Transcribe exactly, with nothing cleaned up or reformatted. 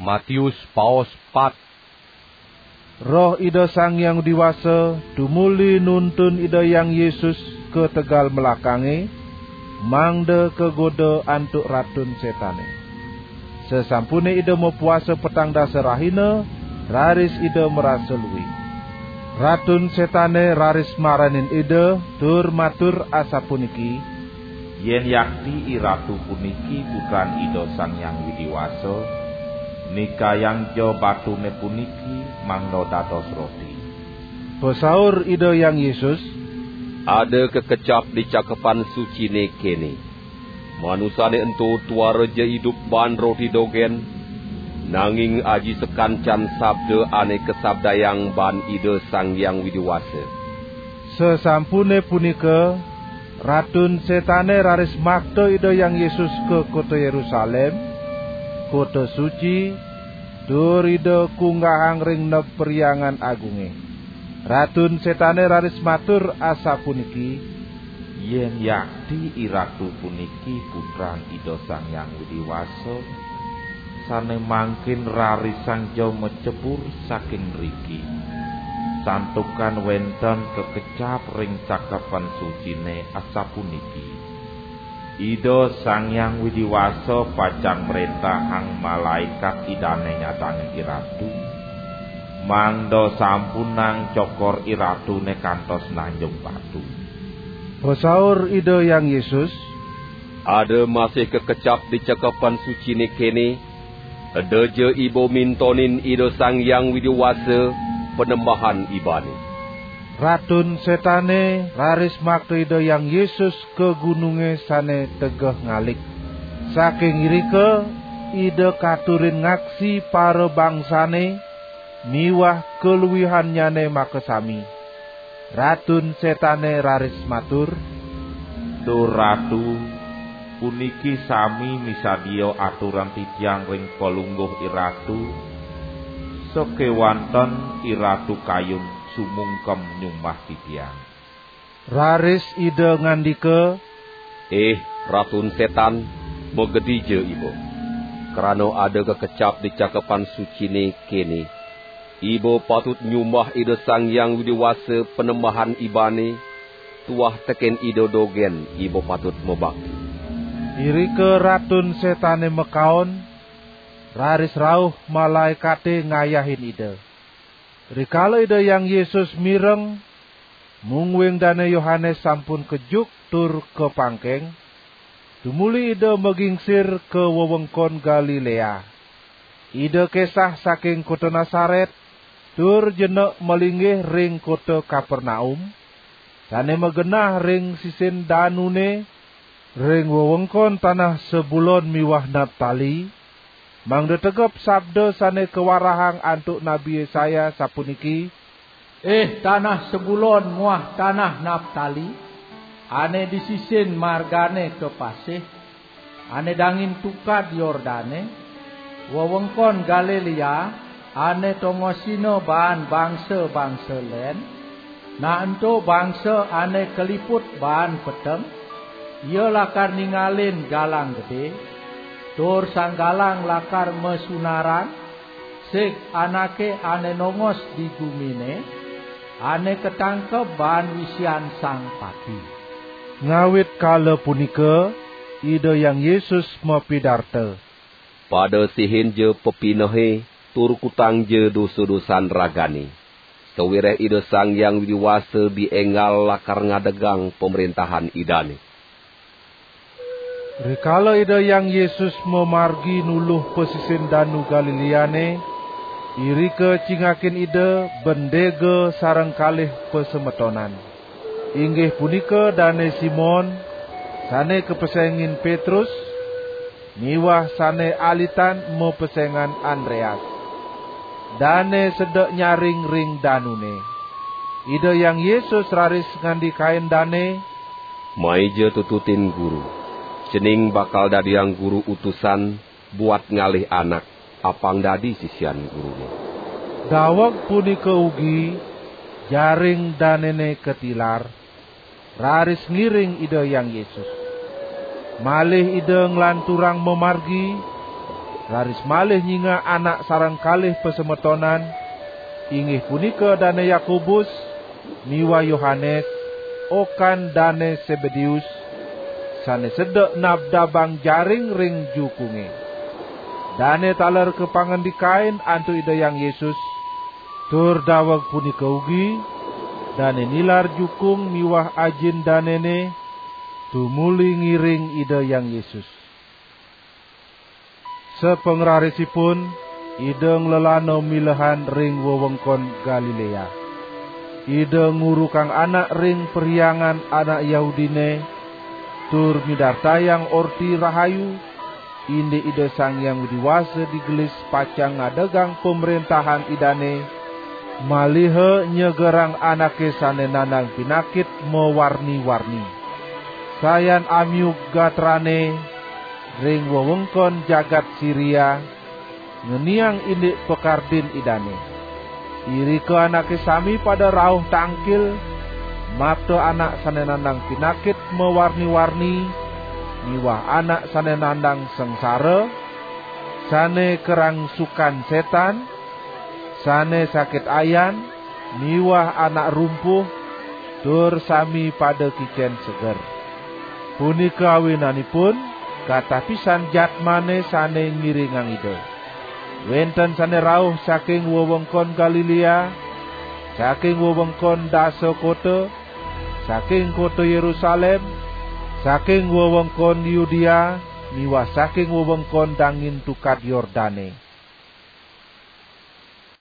Matius paos pat. Roh Ida Sang Hyang Widi Wasa tumuli nuntun Ida Hyang Yesus ka tegal melakange, mangda kagoda antuk Ratun Setane. Sasampune Ida mapuasa petang dasa rahina, raris Ida marasa luih. Ratun Setane raris maranin Ida tur matur asapuniki, "Yen yakti IRatu puniki Putran Ida Sang Hyang Widi Wasa, nikayangja batune puniki mangda dados roti." Pasaur Ida Hyang Yesus, "Ada kakecap di Cakepan Sucine kene: Manusane ento tuara ja idup baan roti dogen, nanging aji sakancan sabda ane kasabdayang baan Ida Sang Hyang Widi Wasa." Sasampune punika, Ratun Setane raris makta Ida Hyang Yesus ka kota Yerusalem, kota suci, tur Ida kunggahang ring neb Perhyangan Agunge. Ratun Setane raris matur asapuniki, "Yen yakti IRatu puniki Putran Ida Sang Hyang Widi Wasa, sane mangkin rarisangja macebur saking ngriki, santukan wenten kakecap ring Cakepan Sucine asapuniki: Ida Sang Hyang Widi Wasa pacang mrentahang malaikat Idane nyadangin IRatu, mangda sampunang cokor IRatune kantos nanjung batu." Pasaur Ida Hyang Yesus, "Ada masih kakecap di Cakepan Sucine kene: Eda ja iba mintonin Ida Sang Hyang Widi Wasa Panembahan ibane." Ratun Setane raris makta Ida Hyang Yesus ka gununge sane tegeh ngalik. Saking irika Ida katurin ngaksi parabangsane miwah kaluihannyane makasami. Ratun Setane raris matur, "Duh Ratu, puniki sami misadia aturan titiang ring Palungguh IRatu, sakewanten IRatu kayun sumungkem nyumbah titiang." Raris Ida ngandika, "Ih, Ratun Setan, magedija iba! Krana ada kakecap di Cakepan Sucine kene: Iba patut nyumbah Ida Sang Hyang Widi Wasa Panembahan ibane, tuah teken ida dogen iba patut mabakti." Irika Ratun Setane makaon, raris rauh malaekate ngayahin Ida. Rikala Ida Hyang Yesus mireng, mungguing Dane Yohanes sampun kejuk tur kapangkeng, tumuli Ida magingsir ka wewengkon Galilea. Ida kesah saking kota Nasaret, tur jenek malinggih ring kota Kapernaum, sane magenah ring sisin danune, ring wewengkon tanah Sebulon miwah Naptali, mangda tegep sabda sane kawarahang antuk Nabi Yesaya, sapuniki: "Ih, tanah Sebulon muah tanah Naptali, ane di sisin margane ka pasih, ane dangin tukad Yordane, wewengkon Galilea, ane tongosina baan bangsa-bangsa len, nah ento bangsa ane kaliput baan peteng, ia lakar ningalin galang gede, tur sang galang lakar masunaran, sig anake ane nongos di gumine, ane katangkeb baan wisian sang pati." Ngawit kala punika, Ida Hyang Yesus mapidarta, "Pada sihin ja pepinehe, tur kutang ja dosa-dosan ragane, sawiréh Ida Sang Hyang Widi Wasa di enggal lakar ngadegang Pamrentahan Idane." Rikala Ida Hyang Yesus mamargi nuluh pasisin Danu Galileane, irika cingakin Ida bendega sareng kalih pasemetonan, inggih punika Dane Simon, sane kapesengin Petrus, miwah sane alitan mapesengan Andreas. Dane sedek nyaring ring danune. Ida Hyang Yesus raris ngandikain dane, "Maija tututin Guru, cening bakal dadiang Guru utusan buat ngalih anak, apang dadi sisian Gurune." Daweg punika ugi, jaring danene katilar, raris ngiring Ida Hyang Yesus. Malih Ida nglanturang mamargi, raris malih nyingak anak sareng kalih pasemetonan, inggih punika Dane Yakobus miwah Yohanes, okan Dane Sebedeus, sane sedek nabdabang jaring ring jukunge. Dane taler kapangandikain antuk Ida Hyang Yesus, tur daweg punika ugi dane nilar jukung miwah ajin danene tumuli ngiring Ida Hyang Yesus. Sapangrarisipun, Ida nglelana milehan ring wewengkon Galilea. Ida ngurukang anak ring perhyangan anak Yahudine, tur midartayang Orti Rahayu, indik Ida Sang Hyang Widi Wasa digelis pacang ngadegang pamrentahan Idane, maliha nyegerang anake sane nandang pinakit mawarni-warni. Sayan amiug gatrane ring wewengkon jagat Siria, ngeniang indik pakardin Idane. Irika anake sami pada rauh tangkil, mapta anak sane nandang pinakit mawarni-warni, miwah anak sane nandang sangsara, sane karangsukan setan, sane sakit ayan, miwah anak rumpuh, tur sami pada kicen seger. Punika awinanipun, katah pisan jadmane sane ngiringang Ida. Wenten sane rauh saking wewengkon Galilea, saking wewengkon dasa kota, saking kota Yerusalem, saking wewengkon Yudea, miwah saking wewengkon dangin Tukad Yordane.